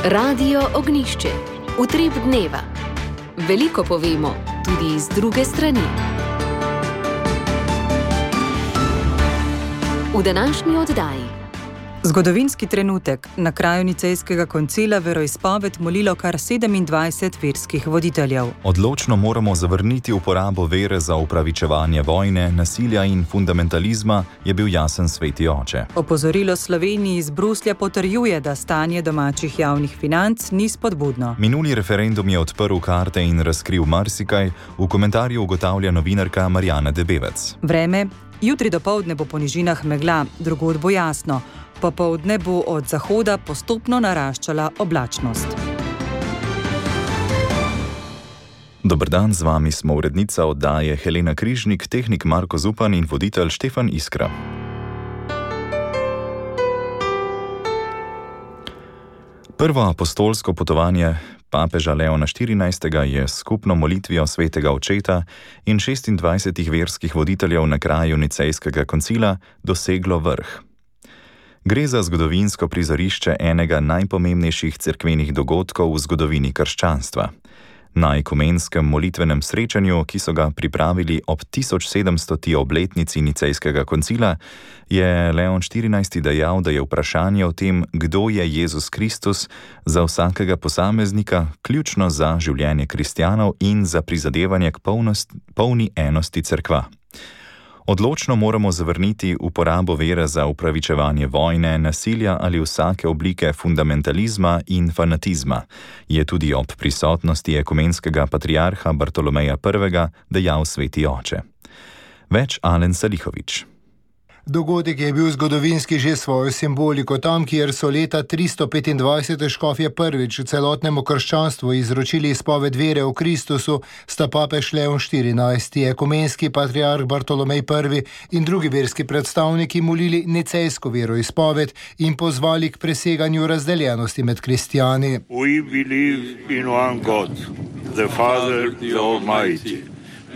Radio Ognišče, utrip dneva. Veliko povemo, tudi z druge strani. V današnji oddaji. Zgodovinski trenutek. Na kraju Nicejskega koncila veroizpoved molilo kar 27 verskih voditeljev. Odločno moramo zavrniti uporabo vere za upravičevanje vojne, nasilja in fundamentalizma, je bil jasen sveti oče. Opozorilo Sloveniji iz Bruslja potrjuje, da stanje domačih javnih financ ni spodbudno. Minuli referendum je odprl karte in razkril marsikaj, v komentarju ugotavlja novinarka Marjana Debevec. Vreme. Jutri dopoldne bo po nižinah megla, drugod bo jasno. Popoldne bo od zahoda postopno naraščala oblačnost. Dober dan, z vami smo urednica oddaje Helena Križnik, tehnik Marko Zupan in voditelj Štefan Iskra. Prvo apostolsko potovanje papeža Leona XIV. Je s skupno molitvijo svetega očeta in 26 verskih voditeljev na kraju Nicejskega koncila doseglo vrh. Gre za zgodovinsko prizorišče enega najpomembnejših cerkvenih dogodkov v zgodovini krščanstva. Na ekumenskem molitvenem srečanju, ki so ga pripravili ob 1700. obletnici Nicejskega koncila, je Leon XIV. Dejal, da je vprašanje o tem, kdo je Jezus Kristus, za vsakega posameznika ključno za življenje kristjanov in za prizadevanje k polni enosti cerkva. Odločno moramo zavrniti uporabo vere za upravičevanje vojne, nasilja ali vsake oblike fundamentalizma in fanatizma, je tudi ob prisotnosti ekumenskega patriarha Bartolomeja I. dejal sveti oče. Več Alen Salihović. Dogodek je bil zgodovinski že svojo simboliko. Tam, kjer so leta 325 škofje prvič celotnemu krščanstvu izročili izpoved vere v Kristusu, sta papež Leon XIV., ekumenski patriarh Bartolomej I. in drugi verski predstavniki molili nicejsko veroizpoved in pozvali k preseganju razdeljenosti med kristjani. We believe in one God, the Father, the Almighty,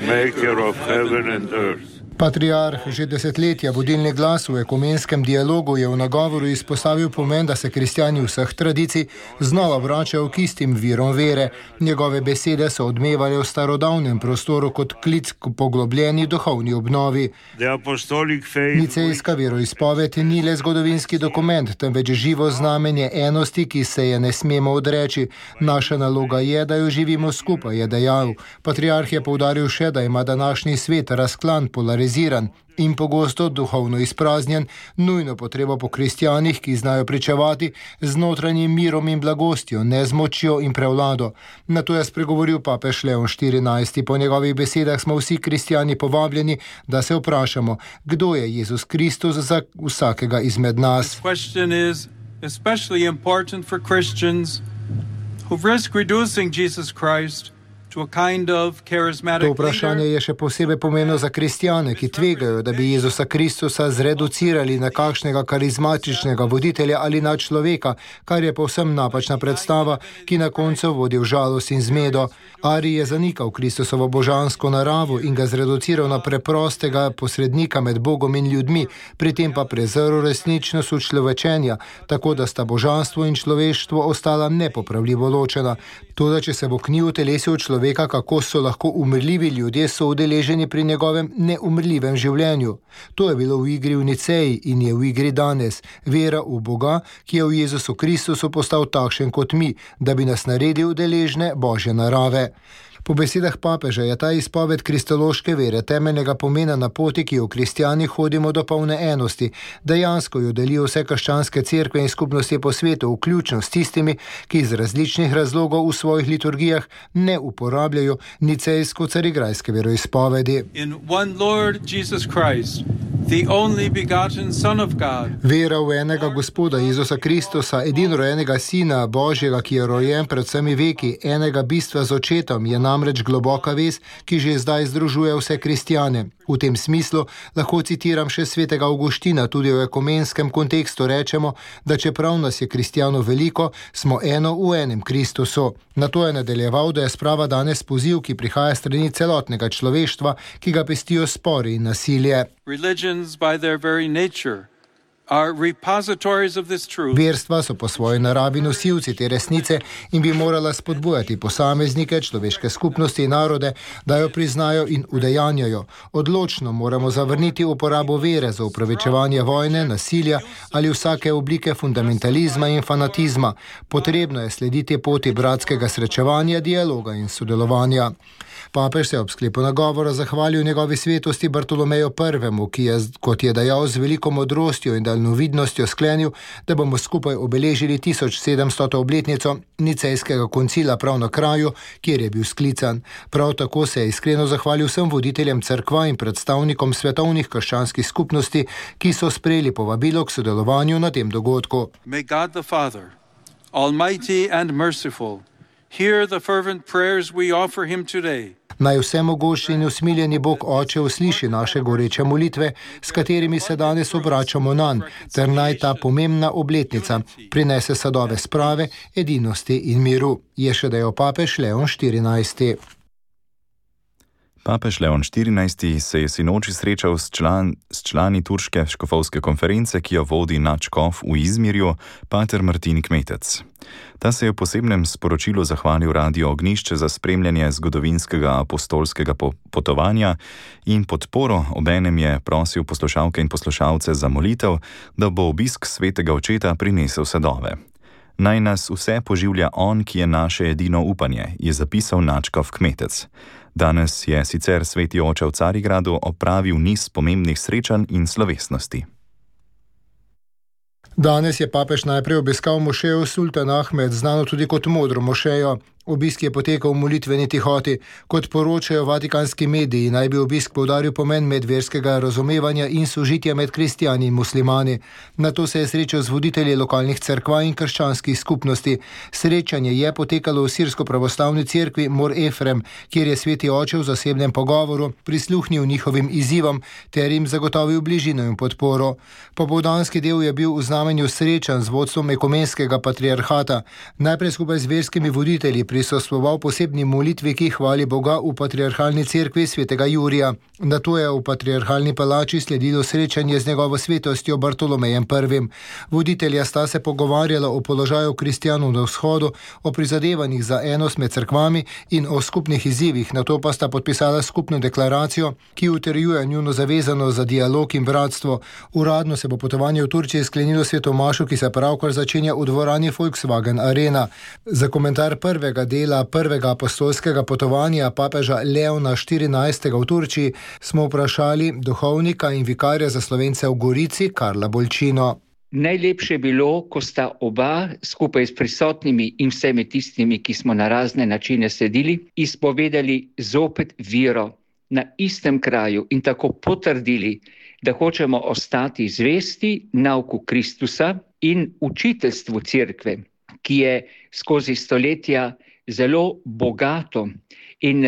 maker of heaven and earth. Patriarh že desetletja vodilni glas v ekumenskem dialogu je v nagovoru izpostavil pomen, da se kristjani vseh tradicij znova vračajo k istim virom vere. Njegove besede so odmevale v starodavnem prostoru kot klic k poglobljeni duhovni obnovi. Nicejska veroizpoved ni le zgodovinski dokument, temveč živo znamenje enosti, ki se je ne smemo odreči. Naša naloga je, da jo živimo skupaj, je dejal. Patriarh je poudaril še, da ima današnji svet razklan, polariziran in pogosto duhovno izpraznjen, nujno potrebo po kristjanih, ki znajo pričevati z notranjim mirom in blagostjo, ne z močjo in prevlado. Na to je spregovoril papež Leon XIV. Po njegovih besedah smo vsi kristjani povabljeni, da se vprašamo, kdo je Jezus Kristus za vsakega izmed nas. To vprašanje je še posebej pomembno za kristjane, ki tvegajo, da bi Jezusa Kristusa zreducirali na kakšnega karizmatičnega voditelja ali na človeka, kar je povsem napačna predstava, ki na koncu vodi v žalost in zmedo. Ari je zanikal Kristusovo božansko naravo in ga zreduciral na preprostega posrednika med Bogom in ljudmi, pri tem pa prezrl resničnost učlovečenja, tako da sta božanstvo in človeštvo ostala nepopravljivo ločena. Toda, če se bo k njiju telesil človeka, kako so lahko umrljivi ljudje so udeleženi pri njegovem neumrljivem življenju. To je bilo v igri v Niceji in je v igri danes. Vera v Boga, ki je v Jezusu Kristusu postal takšen kot mi, da bi nas naredil deležne Božje narave. Po besedah papeža je ta izpoved kristološke vere temeljnega pomena na poti, ki jo kristjani hodimo do polne enosti. Dejansko jo delijo vse krščanske cerkve in skupnosti po svetu, vključno s tistimi, ki iz različnih razlogov v svojih liturgijah ne uporabljajo nicejsko carigrajske veroizpovedi. Vera v enega Gospoda Jezusa Kristusa, edinorojenega Sina Božjega, ki je rojen pred vsemi veki, enega bistva z očetom, je namreč globoka vez, ki že zdaj združuje vse kristjane. V tem smislu lahko citiram še svetega Avguština, tudi v ekumenskem kontekstu rečemo, da čeprav nas je kristjanov veliko, smo eno v enem Kristusu. Na to je nadaljeval, da je sprava danes poziv, ki prihaja strani celotnega človeštva, ki ga pestijo spori in nasilje. Religions by their very nature Verstva so po svoji naravi nosilci te resnice in bi morala spodbujati posameznike, človeške skupnosti in narode, da jo priznajo in udejanjajo. Odločno moramo zavrniti uporabo vere za upravičevanje vojne, nasilja ali vsake oblike fundamentalizma in fanatizma. Potrebno je slediti poti bratskega srečevanja, dialoga in sodelovanja. Papež se je ob sklepu nagovora zahvalil njegovi svetosti Bartolomeju I., ki je, kot je dejal, z veliko modrostjo in daljnovidnostjo sklenil, da bomo skupaj obeležili 1700. obletnico Nicejskega koncila prav na kraju, kjer je bil sklican. Prav tako se je iskreno zahvalil vsem voditeljem cerkva in predstavnikom svetovnih krščanskih skupnosti, ki so sprejeli povabilo k sodelovanju na tem dogodku. May God the Father, Almighty and merciful, hear the fervent prayers we offer him today. Naj vsemogočni in usmiljeni Bog Oče usliši naše goreče molitve, s katerimi se danes obračamo nanj, ter naj ta pomembna obletnica prinese sadove sprave, edinosti in miru, je še dejal papež Leon XIV. Papež Leon XIV se je sinoči srečal s člani turške škofovske konference, ki jo vodi nadškof v Izmirju, pater Martin Kmetec. Ta se je v posebnem sporočilu zahvalil Radiu Ognjišče za spremljanje zgodovinskega apostolskega potovanja in podporo, obenem je prosil poslušalke in poslušalce za molitev, da bo obisk svetega očeta prinesel sadove. Naj nas vse poživlja on, ki je naše edino upanje, je zapisal nadškof Kmetec. Danes je sicer sveti oče v Carigradu opravil niz pomembnih srečanj in slovesnosti. Danes je papež najprej obiskal mošejo Sultan Ahmed, znano tudi kot Modro mošejo. Obisk je potekal v molitveni tihoti. Kot poročajo vatikanski mediji, naj bi obisk poudaril pomen medverskega razumevanja in sožitja med kristjani in muslimani. Nato se je srečal z voditelji lokalnih cerkva in krščanskih skupnosti. Srečanje je potekalo v sirsko-pravoslavni cerkvi Mor Efrem, kjer je sveti oče v zasebnem pogovoru prisluhnil njihovim izzivom ter jim zagotovil bližino in podporo. Popoldanski del je bil v znamenju srečanj z vodstvom ekumenskega patriarhata. Najprej skupaj z verskimi voditelji prisostvoval posebni molitvi, ki hvali Boga v patriarhalni cerkvi svetega Jurija. Nato je v patriarhalni palači sledilo srečanje z njegovo svetostjo Bartolomejem I. Voditelja sta se pogovarjala o položaju kristjanov na vzhodu, o prizadevanjih za enost med cerkvami in o skupnih izzivih. Nato pa sta podpisala skupno deklaracijo, ki utrjuje njuno zavezanost za dialog in bratstvo. Uradno se bo potovanje v Turčiji sklenilo svetomašu, ki se pravkar začenja v dvorani Volkswagen Arena. Za komentar prvega dela prvega apostolskega potovanja papeža Leona XIV. V Turčiji smo vprašali duhovnika in vikarja za Slovence v Gorici Karla Bolčino. Najlepše je bilo, ko sta oba skupaj s prisotnimi in vsemi tistimi, ki smo na razne načine sedili, izpovedali zopet vero na istem kraju in tako potrdili, da hočemo ostati zvesti nauku Kristusa in učiteljstvu cerkve, ki je skozi stoletja zelo bogato in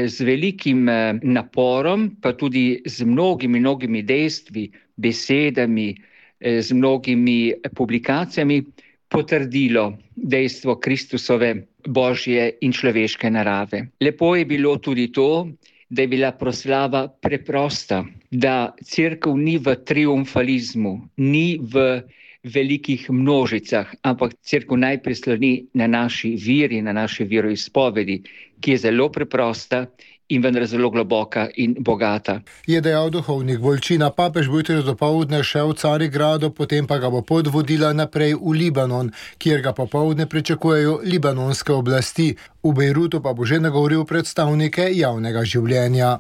z velikim naporom, pa tudi z mnogimi dejstvi, besedami, z mnogimi publikacijami potrdilo dejstvo Kristusove božje in človeške narave. Lepo je bilo tudi to, da je bila proslava preprosta, da cerkev ni v triumfalizmu, ni v velikih množicah, ampak cerkev najprej sloni na naši veri, na naši veroizpovedi, ki je zelo preprosta in vendar zelo globoka in bogata. Je dejal duhovnik Bolčina. Papež bo jutri dopoldne šel v Carigradu, potem pa ga bo pot vodila naprej v Libanon, kjer ga popoldne pričakujejo libanonske oblasti. V Bejrutu pa bo že nagovoril predstavnike javnega življenja.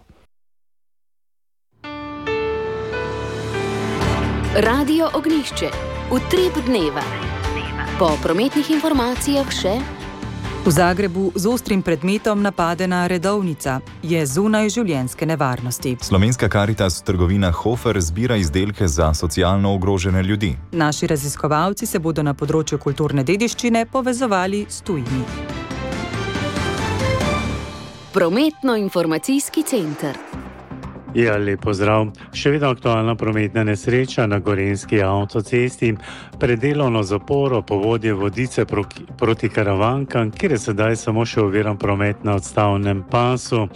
Radio Ognjišče. Utrip dneva. Po prometnih informacijah še: v Zagrebu z ostrim predmetom napadena redovnica, je zunaj življenjske nevarnosti. Slovenska Karitas trgovina Hofer zbira izdelke za socialno ogrožene ljudi. Naši raziskovalci se bodo na področju kulturne dediščine povezovali s tujimi. Prometno-informacijski center. Ja, lep pozdrav. Še vedno aktualna prometna nesreča na Gorenjski avtocesti. Predelovno zaporo povodje Vodice proti Karavankam, kjer je sedaj samo še oviran promet na odstavnem pasu.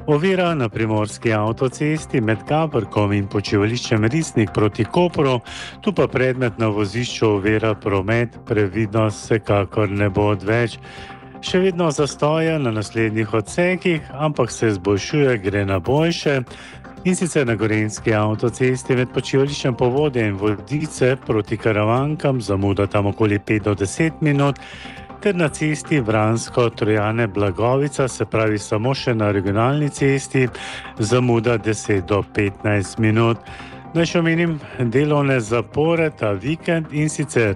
Ovira na primorski avtocesti med Gabrkom in počivališčem Risnik proti Kopru, tu pa predmet na vozišču ovira promet, previdnost vsekakor ne bo odveč. Še vedno zastoja na naslednjih odsekih, ampak se izboljšuje, gre na boljše. In sicer na gorenjski avtocesti med počivališčem Povodje in Vodice proti Karavankam, zamuda tam okoli 5 do 10 minut, ter na cesti Vransko-Trojane-Blagovica, se pravi samo še na regionalni cesti, zamuda 10 do 15 minut. Naj še omenim delovne zapore ta vikend, in sicer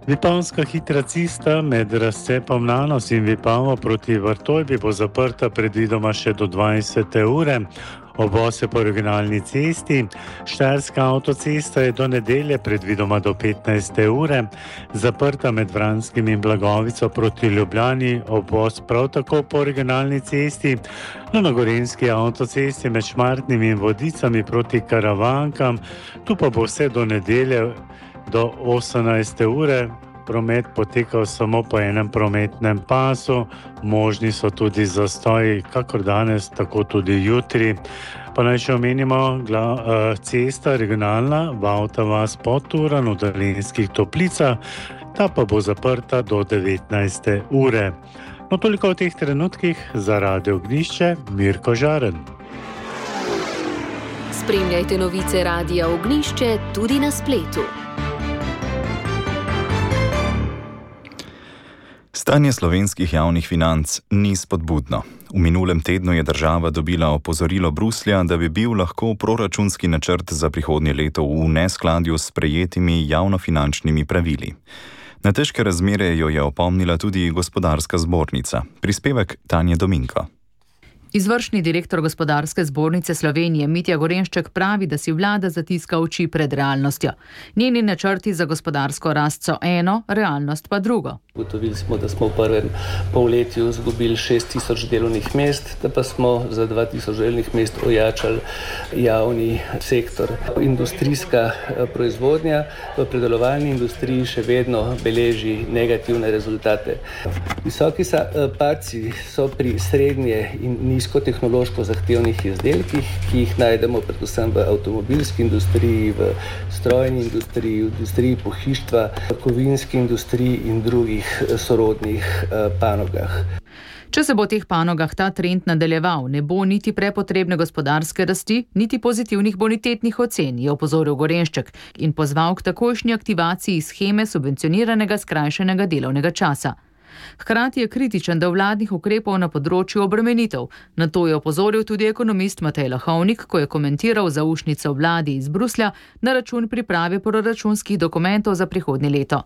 Vipavska hitra cesta med razcepom Nanos in Vipavo proti Vrtojbi bo zaprta predvidoma še do 20. ure. Obvoz je po regionalni cesti. Štajerska avtocesta je do nedelje predvidoma do 15. ure zaprta med Vranskim in Blagovico proti Ljubljani, obvoz prav tako po regionalni cesti. Na gorenjski avtocesti med Šmartnim in Vodicami proti Karavankam, tu pa bo vse do nedelje do 18. ure. Promet potekal samo po enem prometnem pasu, možni so tudi zastoji, kakor danes, tako tudi jutri. Pa naj še omenimo cesta regionalna Vavta vas Podturan v Dolenjskih Toplicah, ta pa bo zaprta do 19. ure. No, toliko v teh trenutkih. Za Radio Ognjišče, Mirko Žaren. Spremljajte novice Radia Ognjišče tudi na spletu. Stanje slovenskih javnih financ ni spodbudno. V minulem tednu je država dobila opozorilo Bruslja, da bi bil lahko proračunski načrt za prihodnje leto v neskladju s sprejetimi javnofinančnimi pravili. Na težke razmere jo je opomnila tudi Gospodarska zbornica. Prispevek Tanje Dominko. Izvršni direktor Gospodarske zbornice Slovenije Mitja Gorenšček pravi, da si vlada zatiska oči pred realnostjo. Njeni načrti za gospodarsko rast so eno, realnost pa drugo. Ugotovili smo, da smo v prvem polletju izgubili 6.000 delovnih mest, da pa smo za 2.000 delovnih mest ojačali javni sektor. Industrijska proizvodnja v predelovalni industriji še vedno beleži negativne rezultate. Visoki padci so pri srednje in nizkotehnološko zahtevnih izdelkih, ki jih najdemo predvsem v avtomobilski industriji, v strojni industriji, v industriji pohištva, v kovinski industriji in drugih sorodnih panogah. Če se bo v teh panogah ta trend nadaljeval, ne bo niti prepotrebne gospodarske rasti, niti pozitivnih bonitetnih ocen, je opozoril Gorenšček in pozval k takojšnji aktivaciji sheme subvencioniranega skrajšanega delovnega časa. Hkrati je kritičen do vladnih ukrepov na področju obremenitev. Na to je opozoril tudi ekonomist Matej Lahovnik, ko je komentiral zaušnico vladi iz Bruslja na račun priprave proračunskih dokumentov za prihodnje leto.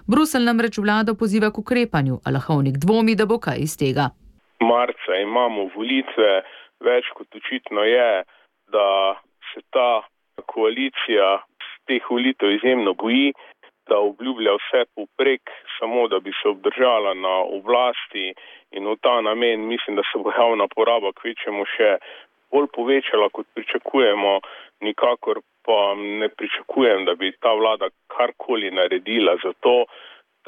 Bruselj namreč vlado poziva k ukrepanju, a Lahovnik dvomi, da bo kaj iz tega. Marca imamo volitve, več kot očitno je, da se ta koalicija z teh volitev izjemno boji, da obljublja vse povprek, samo da bi se obdržala na oblasti, in v ta namen mislim, da se bo javna poraba kvečjemu še bolj povečala, kot pričakujemo. Nikakor pa ne pričakujem, da bi ta vlada karkoli naredila za to,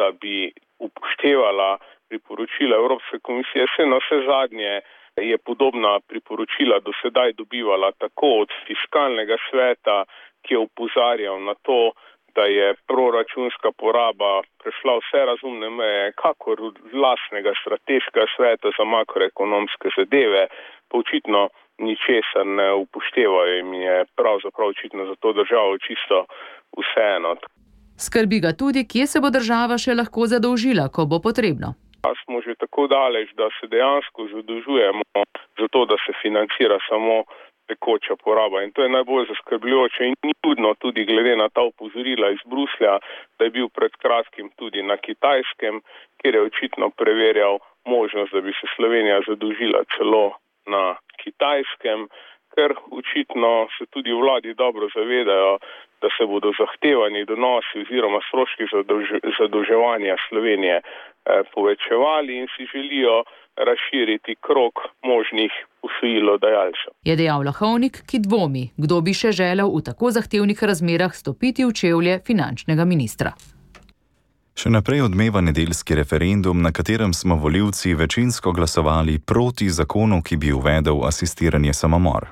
da bi upoštevala priporočila Evropske komisije. Vse na vse zadnje je podobna priporočila do sedaj dobivala tako od fiskalnega sveta, ki je opozarjal na to, da je proračunska poraba prešla vse razumne meje, kakor od lastnega strateškega sveta za makroekonomske zadeve, pa očitno ničesar ne upoštevajo in je pravzaprav očitno za to državo čisto vseeno. Skrbi ga tudi, kje se bo država še lahko zadolžila, ko bo potrebno. Smo že tako daleč, da se dejansko zadolžujemo za to, da se financira samo tekoča poraba, in to je najbolj zaskrbljujoče in ni čudno tudi glede na ta opozorila iz Bruslja, da je bil pred kratkim tudi na Kitajskem, kjer je očitno preverjal možnost, da bi se Slovenija zadolžila celo na Kitajskem, ker očitno se tudi vladi dobro zavedajo, da se bodo zahtevani donosi oziroma stroški zadolževanja Slovenije povečevali in si želijo razširiti krog možnih posojilodajalcev. Je dejal Lahovnik, ki dvomi, kdo bi še želel v tako zahtevnih razmerah stopiti v čevlje finančnega ministra. Še naprej odmeva nedeljski referendum, na katerem smo volivci večinsko glasovali proti zakonu, ki bi uvedel asistiranje samomor.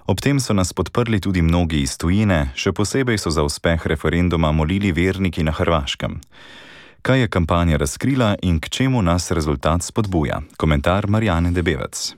Ob tem so nas podprli tudi mnogi iz tujine, še posebej so za uspeh referenduma molili verniki na Hrvaškem. Kaj je kampanja razkrila in k čemu nas rezultat spodbuja? Komentar Marjane Debevec.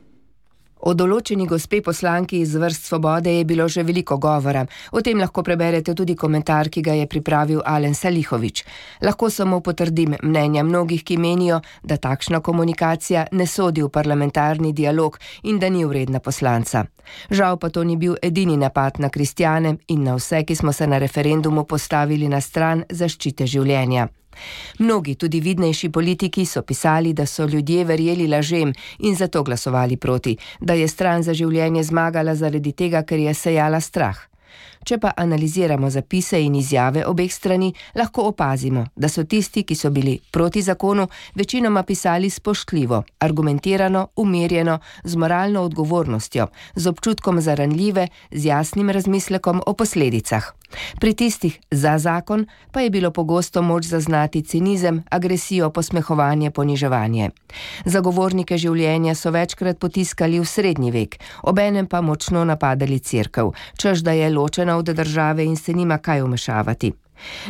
O določeni gospe poslanki iz vrst Svobode je bilo že veliko govora. O tem lahko preberete tudi komentar, ki ga je pripravil Alen Salihović. Lahko samo potrdim mnenja mnogih, ki menijo, da takšna komunikacija ne sodi v parlamentarni dialog in da ni vredna poslanca. Žal pa to ni bil edini napad na kristjane in na vse, ki smo se na referendumu postavili na stran zaščite življenja. Mnogi, tudi vidnejši politiki, so pisali, da so ljudje verjeli lažem in zato glasovali proti, da je stran za življenje zmagala zaradi tega, ker je sejala strah. Če pa analiziramo zapise in izjave obeh strani, lahko opazimo, da so tisti, ki so bili proti zakonu, večinoma pisali spoštljivo, argumentirano, umirjeno, z moralno odgovornostjo, z občutkom za ranljive, z jasnim razmislekom o posledicah. Pri tistih za zakon pa je bilo pogosto moč zaznati cinizem, agresijo, posmehovanje, poniževanje. Zagovornike življenja so večkrat potiskali v srednji vek, obenem pa močno napadali cerkev, češ da je ločena od države in se nima kaj vmešavati.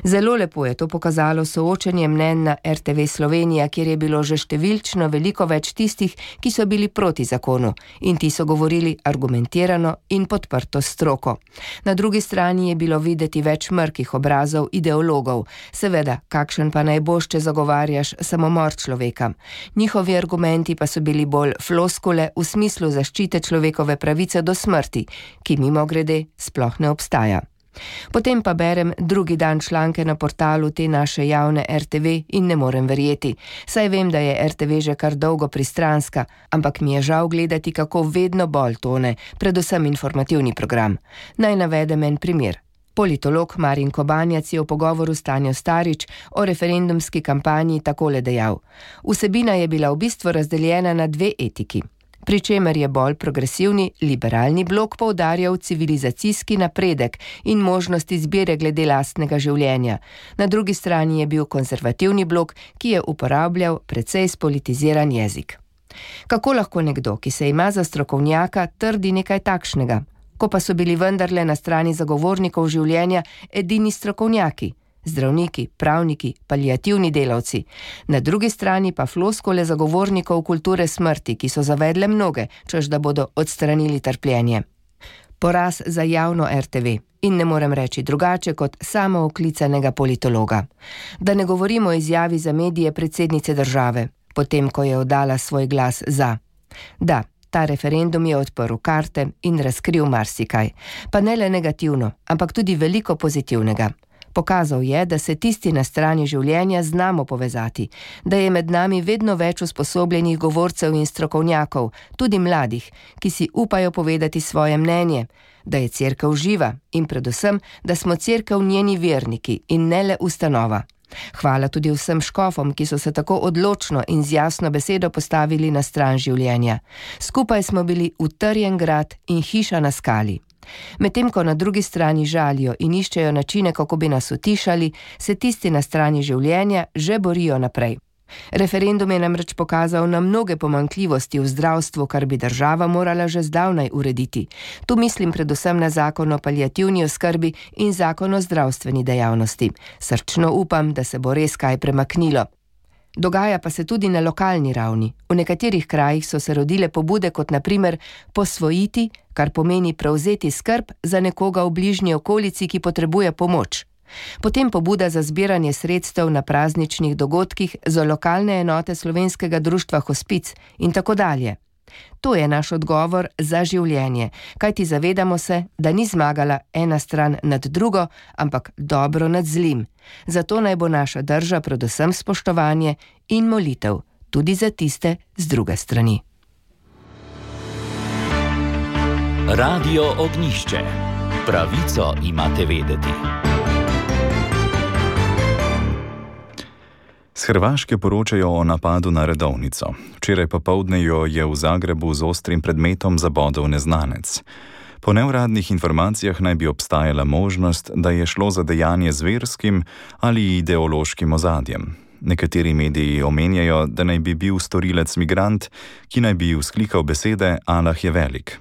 Zelo lepo je to pokazalo soočenje mnenj na RTV Slovenija, kjer je bilo že številčno veliko več tistih, ki so bili proti zakonu in ti so govorili argumentirano in podprto stroko. Na drugi strani je bilo videti več mrkih obrazov ideologov. Seveda, kakšen pa naj boš, če zagovarjaš samomor človeka. Njihovi argumenti pa so bili bolj floskule v smislu zaščite človekove pravice do smrti, ki mimogrede sploh ne obstaja. Potem pa berem drugi dan članke na portalu te naše javne RTV in ne morem verjeti. Saj vem, da je RTV že kar dolgo pristranska, ampak mi je žal gledati, kako vedno bolj tone, predvsem informativni program. Naj navedem en primer. Politolog Marin Kobanjac je v pogovoru s Tanjo Starič o referendumski kampanji takole dejal: vsebina je bila v bistvu razdeljena na dve etiki. Pri čemer je bolj progresivni, liberalni blok poudarjal civilizacijski napredek in možnost izbire glede lastnega življenja. Na drugi strani je bil konzervativni blok, ki je uporabljal precej spolitiziran jezik. Kako lahko nekdo, ki se ima za strokovnjaka, trdi nekaj takšnega, ko pa so bili vendarle na strani zagovornikov življenja edini strokovnjaki? Zdravniki, pravniki, paliativni delavci. Na drugi strani pa floskole zagovornikov kulture smrti, ki so zavedle mnoge, češ da bodo odstranili trpljenje. Poraz za javno RTV in ne morem reči drugače kot samooklicanega politologa. Da ne govorimo o izjavi za medije predsednice države, potem ko je oddala svoj glas za. Da, ta referendum je odprl karte in razkril marsikaj. Pa ne le negativno, ampak tudi veliko pozitivnega. Pokazal je, da se tisti na strani življenja znamo povezati, da je med nami vedno več usposobljenih govorcev in strokovnjakov, tudi mladih, ki si upajo povedati svoje mnenje, da je cerkev živa in predvsem, da smo cerkev njeni verniki in ne le ustanova. Hvala tudi vsem škofom, ki so se tako odločno in z jasno besedo postavili na stran življenja. Skupaj smo bili utrjen grad in hiša na skali. Medtem ko na drugi strani žalijo in iščejo načine, kako bi nas utišali, se tisti na strani življenja že borijo naprej. Referendum je namreč pokazal na mnoge pomanjkljivosti v zdravstvu, kar bi država morala že zdavnaj urediti. Tu mislim predvsem na zakon o paliativni oskrbi in zakon o zdravstveni dejavnosti. Srčno upam, da se bo res kaj premaknilo. Dogaja pa se tudi na lokalni ravni. V nekaterih krajih so se rodile pobude kot na primer posvojiti, kar pomeni prevzeti skrb za nekoga v bližnji okolici, ki potrebuje pomoč. Potem pobuda za zbiranje sredstev na prazničnih dogodkih za lokalne enote Slovenskega društva Hospic in tako dalje. To je naš odgovor za življenje, kajti zavedamo se, da ni zmagala ena stran nad drugo, ampak dobro nad zlim. Zato naj bo naša drža predvsem spoštovanje in molitev, tudi za tiste z druge strani. Radio Ognjišče. Pravico imate vedeti. Z Hrvaške poročajo o napadu na redovnico. Včeraj popoldne jo je v Zagrebu z ostrim predmetom zabodel neznanec. Po neuradnih informacijah naj bi obstajala možnost, da je šlo za dejanje z verskim ali ideološkim ozadjem. Nekateri mediji omenjajo, da naj bi bil storilec migrant, ki naj bi vzklikal besede Allah je velik.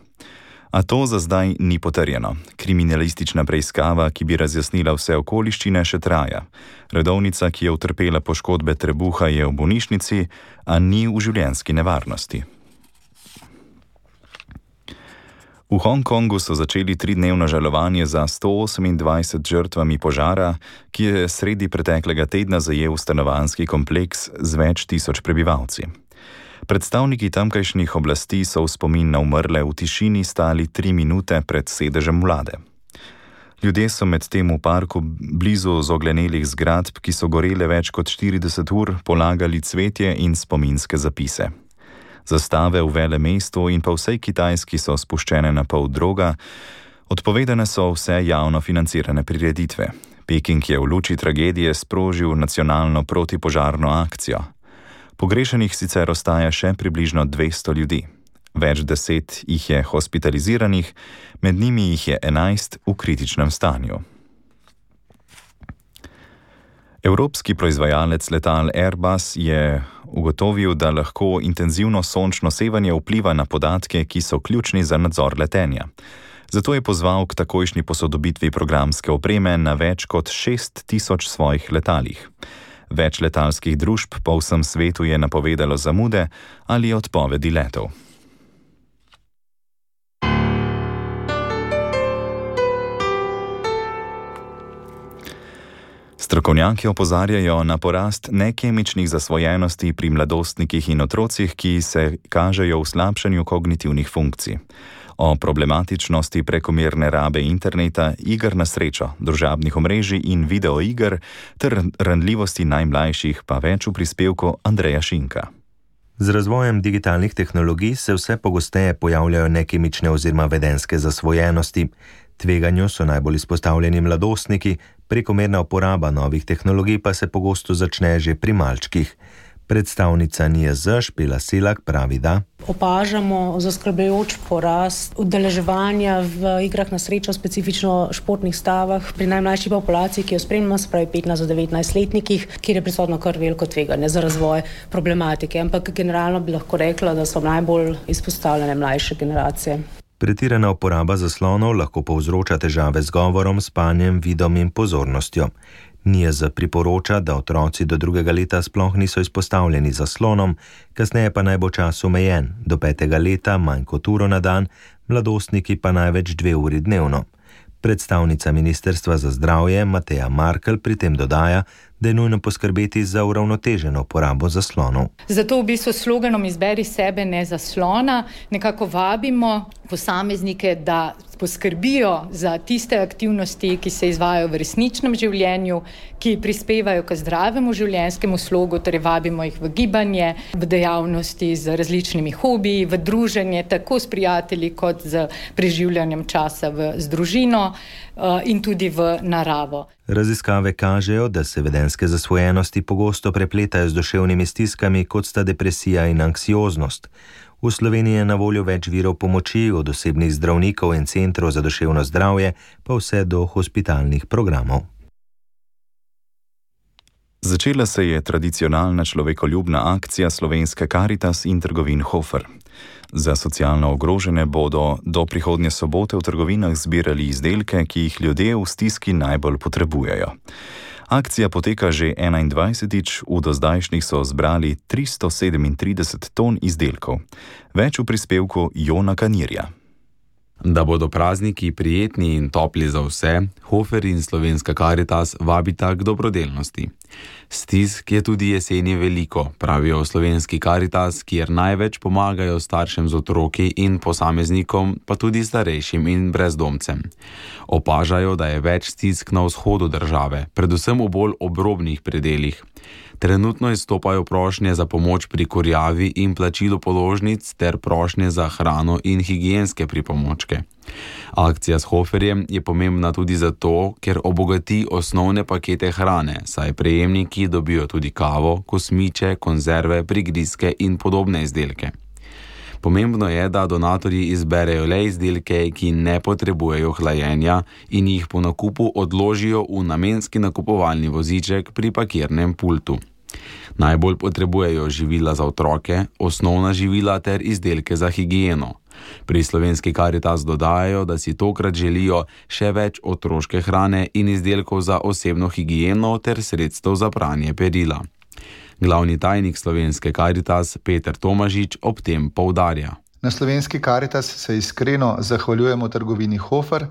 A to za zdaj ni potrjeno. Kriminalistična preiskava, ki bi razjasnila vse okoliščine, še traja. Redovnica, ki je utrpela poškodbe trebuha, je v bolnišnici, a ni v življenjski nevarnosti. V Hongkongu so začeli 3-dnevno žalovanje za 128 žrtvami požara, ki je sredi preteklega tedna zajel stanovanjski kompleks z več tisoč prebivalci. Predstavniki tamkajšnjih oblasti so v spomin na umrle v tišini stali 3 minute pred sedežem vlade. Ljudje so medtem v parku blizu zoglenelih zgradb, ki so gorele več kot 40 ur, polagali cvetje in spominske zapise. Zastave v velemestu in pa vsej Kitajski so spuščene na pol droga, odpovedane so vse javno financirane prireditve. Peking je v luči tragedije sprožil nacionalno protipožarno akcijo. Pogrešenih sicer ostaja še približno 200 ljudi. Več 10 jih je hospitaliziranih, med njimi jih je 11 v kritičnem stanju. Evropski proizvajalec letal Airbus je ugotovil, da lahko intenzivno sončno sevanje vpliva na podatke, ki so ključni za nadzor letenja. Zato je pozval k takojšnji posodobitvi programske opreme na več kot 6000 svojih letalih. Več letalskih družb po vsem svetu je napovedalo zamude ali odpovedi letov. Strokovnjaki opozarjajo na porast nekemičnih zasvojenosti pri mladostnikih in otrocih, ki se kažejo v slabšanju kognitivnih funkcij. O problematičnosti prekomerne rabe interneta, iger na srečo, družabnih omrežij in videoiger ter ranljivosti najmlajših pa več v prispevku Andreja Šinka. Z razvojem digitalnih tehnologij se vse pogosteje pojavljajo nekemične oziroma vedenske zasvojenosti. Tveganju so najbolj izpostavljeni mladostniki, prekomerna uporaba novih tehnologij pa se pogosto začne že pri malčkih. Predstavnica NIJZ Špela Selak pravi, da opažamo zaskrbljujoč porast udeleževanja v igrah na srečo, specifično športnih stavah pri najmlajši populaciji, ki jo spremljamo, se pravi 15 do 19 letnikih, kjer je prisotno kar veliko tveganje za razvoj problematike. Ampak generalno bi lahko rekla, da so najbolj izpostavljene mlajše generacije. Pretirana uporaba zaslonov lahko povzroča težave z govorom, spanjem, vidom in pozornostjo. NIJZ priporoča, da otroci do 2. leta sploh niso izpostavljeni zaslonom, kasneje pa naj bo čas omejen, do 5. leta manj kot uro na dan, mladostniki pa največ 2 uri dnevno. Predstavnica Ministrstva za zdravje Mateja Markel pri tem dodaja, da je nujno poskrbeti za uravnoteženo uporabo zaslonov. Zato v bistvu sloganom Izberi sebe, ne zaslona nekako vabimo posameznike, da poskrbijo za tiste aktivnosti, ki se izvajajo v resničnem življenju, ki prispevajo k zdravemu življenjskemu slogu, torej vabimo jih v gibanje, v dejavnosti z različnimi hobiji, v druženje tako s prijatelji kot z preživljanjem časa z družino in tudi v naravo. Raziskave kažejo, da se vedenske zasvojenosti pogosto prepletajo z duševnimi stiskami, kot sta depresija in anksioznost. V Sloveniji je na voljo več virov pomoči, od osebnih zdravnikov in centrov za duševno zdravje, pa vse do hospitalnih programov. Začela se je tradicionalna človekoljubna akcija Slovenske Karitas in trgovin Hofer. Za socialno ogrožene bodo do prihodnje sobote v trgovinah zbirali izdelke, ki jih ljudje v stiski najbolj potrebujejo. Akcija poteka že 21. V dozdajšnjih so zbrali 337 ton izdelkov. Več v prispevku Jona Kanirja. Da bodo prazniki prijetni in topli za vse, Hofer in Slovenska Karitas vabita k dobrodelnosti. Stisk je tudi jeseni veliko, pravijo v Slovenski Karitas, kjer največ pomagajo staršem z otroki in posameznikom, pa tudi starejšim in brezdomcem. Opažajo, da je več stisk na vzhodu države, predvsem v bolj obrobnih predelih. Trenutno izstopajo prošnje za pomoč pri kurjavi in plačilu položnic ter prošnje za hrano in higienske pripomočke. Akcija s Hoferjem je pomembna tudi zato, ker obogati osnovne pakete hrane, saj prejemniki dobijo tudi kavo, kosmiče, konzerve, prigrizke in podobne izdelke. Pomembno je, da donatorji izberejo le izdelke, ki ne potrebujejo hlajenja in jih po nakupu odložijo v namenski nakupovalni voziček pri parkirnem pultu. Najbolj potrebujejo živila za otroke, osnovna živila ter izdelke za higieno. Pri Slovenski Karitas dodajajo, da si tokrat želijo še več otroške hrane in izdelkov za osebno higieno ter sredstev za pranje perila. Glavni tajnik Slovenske Karitas Peter Tomažič ob tem poudarja. Na Slovenski Karitas se iskreno zahvaljujemo trgovini Hofer,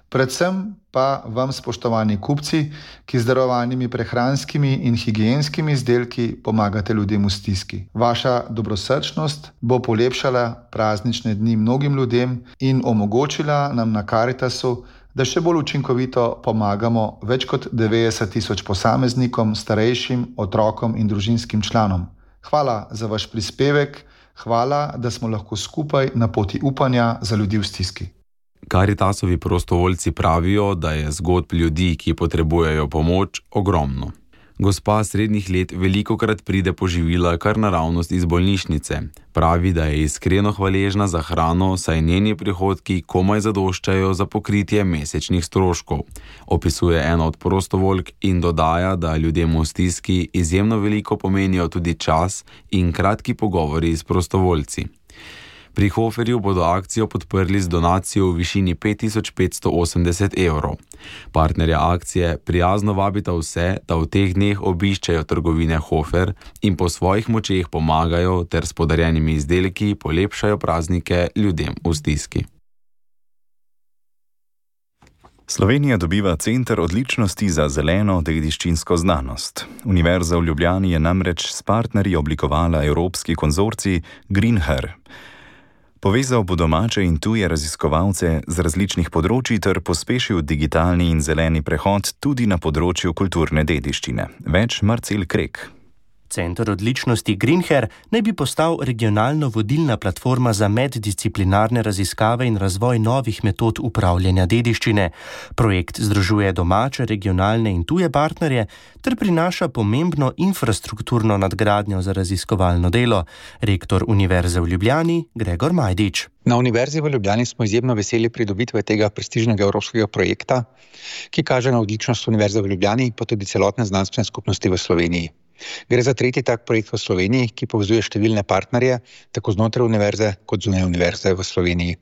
predvsem pa vam, spoštovani kupci, ki z darovanimi prehranskimi in higienskimi izdelki pomagate ljudem v stiski. Vaša dobrosrčnost bo polepšala praznične dni mnogim ljudem in omogočila nam na Karitasu, da še bolj učinkovito pomagamo več kot 90.000 posameznikom, starejšim, otrokom in družinskim članom. Hvala za vaš prispevek, hvala, da smo lahko skupaj na poti upanja za ljudi v stiski. Karitasovi prostovoljci pravijo, da je zgodb ljudi, ki potrebujejo pomoč, ogromno. Gospa srednjih let velikokrat pride po živila kar naravnost iz bolnišnice. Pravi, da je iskreno hvaležna za hrano, saj njeni prihodki komaj zadoščajo za pokritje mesečnih stroškov. Opisuje ena od prostovoljk in dodaja, da ljudem v stiski izjemno veliko pomenijo tudi čas in kratki pogovori s prostovoljci. Pri Hoferju bodo akcijo podprli z donacijo v višini 5580 evrov. Partnerja akcije prijazno vabita vse, da v teh dneh obiščejo trgovine Hofer in po svojih močeh pomagajo ter s podarjenimi izdelki polepšajo praznike ljudem v stiski. Slovenija dobiva center odličnosti za zeleno dediščinsko znanost. Univerza v Ljubljani je namreč s partnerji oblikovala evropski konzorcij GreenHer. Povezal bo domače in tuje raziskovalce z različnih področji ter pospešil digitalni in zeleni prehod tudi na področju kulturne dediščine. Več Marcel Krek. Center odličnosti GreenHer naj bi postal regionalno vodilna platforma za meddisciplinarne raziskave in razvoj novih metod upravljanja dediščine. Projekt združuje domače, regionalne in tuje partnerje ter prinaša pomembno infrastrukturno nadgradnjo za raziskovalno delo. Rektor Univerze v Ljubljani Gregor Majdič. Na Univerzi v Ljubljani smo izjemno veseli pridobitve tega prestižnega evropskega projekta, ki kaže na odličnost Univerze v Ljubljani pa tudi celotne znanstvene skupnosti v Sloveniji. Gre za tretji tak projekt v Sloveniji, ki povezuje številne partnerje, tako znotraj univerze kot zunaj univerze v Sloveniji.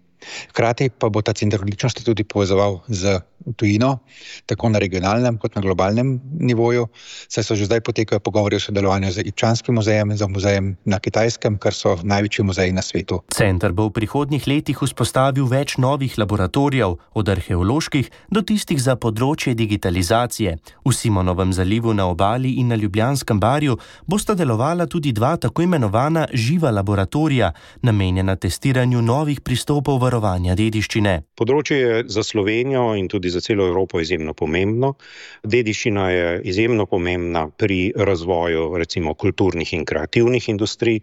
Hkrati pa bo ta center odličnosti tudi povezoval z tujino, tako na regionalnem kot na globalnem nivoju, saj so že zdaj potekajo pogovori o sodelovanju z Ipčanskim muzejem in z muzejem na Kitajskem, kar so največji muzeji na svetu. Center bo v prihodnjih letih vzpostavil več novih laboratorijev, od arheoloških do tistih za področje digitalizacije. V Simonovem zalivu na Obali in na Ljubljanskem barju bosta delovala tudi dva tako imenovana živa laboratorija, namenjena testiranju novih pristopov varovanja dediščine. Področje je za Slovenijo in tudi za celo Evropo izjemno pomembno. Dediščina je izjemno pomembna pri razvoju recimo kulturnih in kreativnih industrij.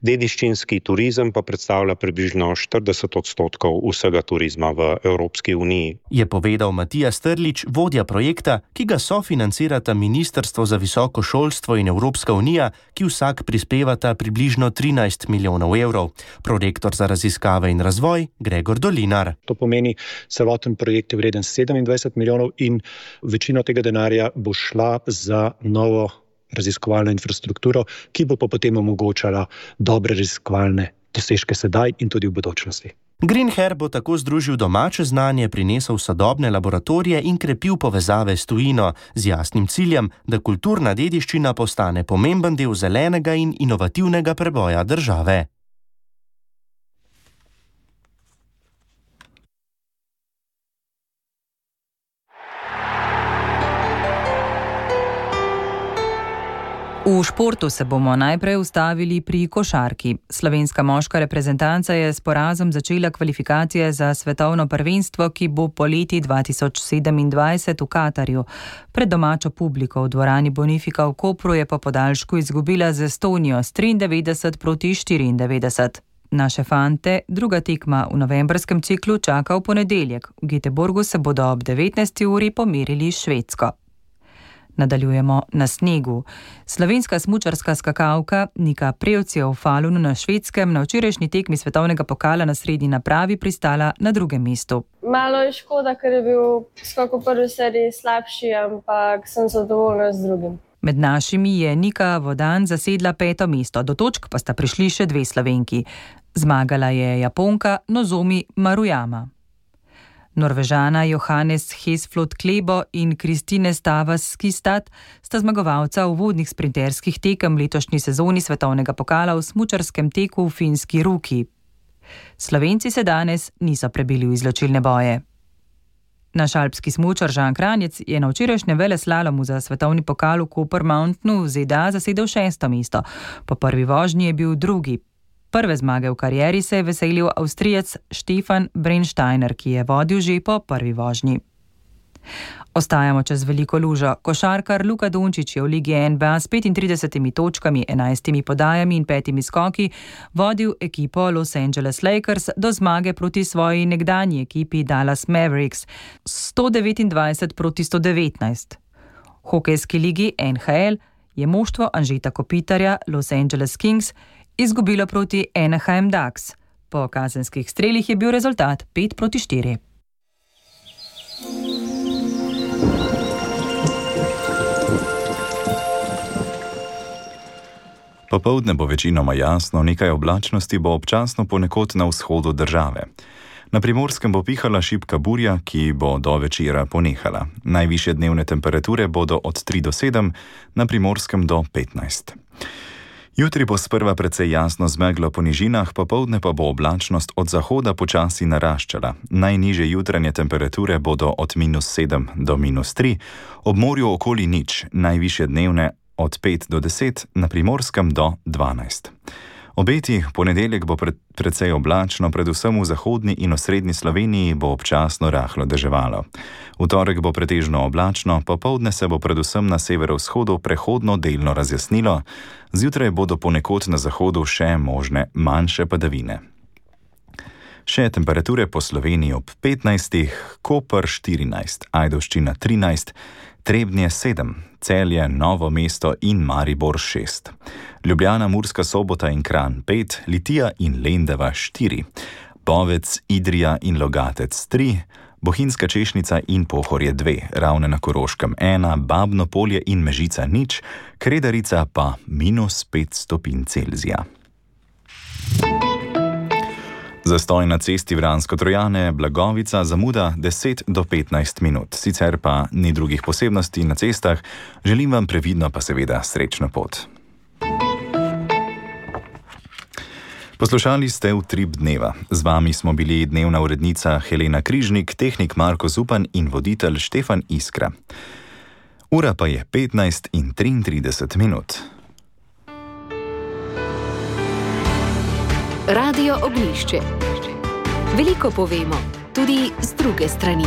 Dediščinski turizem pa predstavlja približno 40% vsega turizma v Evropski uniji. Je povedal Matija Strlič, vodja projekta, ki ga sofinancirata Ministrstvo za visoko šolstvo in Evropska unija, ki vsak prispevata približno 13 milijonov evrov. Prorektor za raziskave in razvoj Gregor Dolinar. To pomeni, celoten projekt je vreden 27 milijonov in večino tega denarja bo šla za novo raziskovalno infrastrukturo, ki bo pa potem omogočala dobre raziskovalne dosežke sedaj in tudi v bodočnosti. GreenHer bo tako združil domače znanje, prinesel sodobne laboratorije in krepil povezave s tujino, z jasnim ciljem, da kulturna dediščina postane pomemben del zelenega in inovativnega preboja države. V športu se bomo najprej ustavili pri košarki. Slovenska moška reprezentanca je s porazom začela kvalifikacije za svetovno prvenstvo, ki bo poleti 2027 v Katarju. Pred domačo publiko v dvorani Bonifika v Kopru je po podaljšku izgubila z Estonijo s 93-94. Naše fante druga tekma v novembrskem ciklu čaka v ponedeljek. V Göteborgu se bodo ob 19. uri pomerili s Švedsko. Nadaljujemo na snegu. Slovenska smučarska skakalka Nika Prevc je v Falunu na Švedskem na včerajšnji tekmi svetovnega pokala na srednji napravi pristala na 2. mestu. Malo je škoda, ker je bil skok v prvi seriji slabši, ampak sem zadovoljna z drugim. Med našimi je Nika Vodan zasedla 5. mesto, do točk pa sta prišli še 2 Slovenki. Zmagala je Japonka Nozomi Maruyama. Norvežana Johannes Hesflot Klebo in Kristine Stavas Skistad sta zmagovalca uvodnih sprinterskih tekem letošnji sezoni svetovnega pokala v smučarskem teku v finski Ruki. Slovenci se danes niso prebili v izločilne boje. Naš alpski smučar Žan Kranjec je na včerajšnjem veleslalomu za svetovni pokal v Copper Mountainu v ZDA zasedel 6. mesto. Po prvi vožnji je bil 2. Prve zmage v karieri se je veselil Avstrijec Stefan Brennsteiner, ki je vodil že po prvi vožnji. Ostajamo čez veliko lužo. Košarkar Luka Dončić je v Ligi NBA s 35 točkami, 11 podajami in 5 skoki vodil ekipo Los Angeles Lakers do zmage proti svoji nekdanji ekipi Dallas Mavericks 129-119. V hokejski ligi NHL je moštvo Anžeta Kopitarja Los Angeles Kings izgubilo proti Anaheim Ducks. Po kazenskih strelih je bil rezultat 5-4. Popoldne bo večinoma jasno, nekaj oblačnosti bo občasno ponekod na vzhodu države. Na Primorskem bo pihala šibka burja, ki bo do večera ponehala. Najvišje dnevne temperature bodo od 3 do 7, na Primorskem do 15. Jutri bo sprva precej jasno z meglo po nižinah, popoldne pa bo oblačnost od zahoda počasi naraščala. Najnižje jutranje temperature bodo od -7 do -3, ob morju okoli 0, najvišje dnevne od 5 do 10, na Primorskem do 12. Obeti, ponedeljek bo precej oblačno, predvsem v zahodni in osrednji Sloveniji bo občasno rahlo deževalo. V torek bo pretežno oblačno, popoldne se bo predvsem na severovzhodu prehodno delno razjasnilo, zjutraj bodo ponekod na zahodu še možne manjše padavine. Še temperature po Sloveniji ob 15, Koper 14, Ajdovščina 13, Trebnje 7, Celje, Novo mesto in Maribor 6. Ljubljana, Murska Sobota in Kranj 5, Litija in Lendava 4, Bovec, Idrija in Logatec 3, Bohinjska Češnica in Pohorje 2, Ravne na Koroškem 1, Babno Polje in Mežica 0, Kredarica pa -5 stopinj Celzija. Zastoj na cesti Vransko-Trojane, Blagovica, zamuda 10 do 15 minut. Sicer pa ni drugih posebnosti na cestah, želim vam previdno pa seveda srečno pot. Poslušali ste Utrip dneva. Z vami smo bili dnevna urednica Helena Križnik, tehnik Marko Zupan in voditelj Štefan Iskra. Ura pa je 15:33 minut. Radio Ognjišče. Veliko povemo, tudi z druge strani.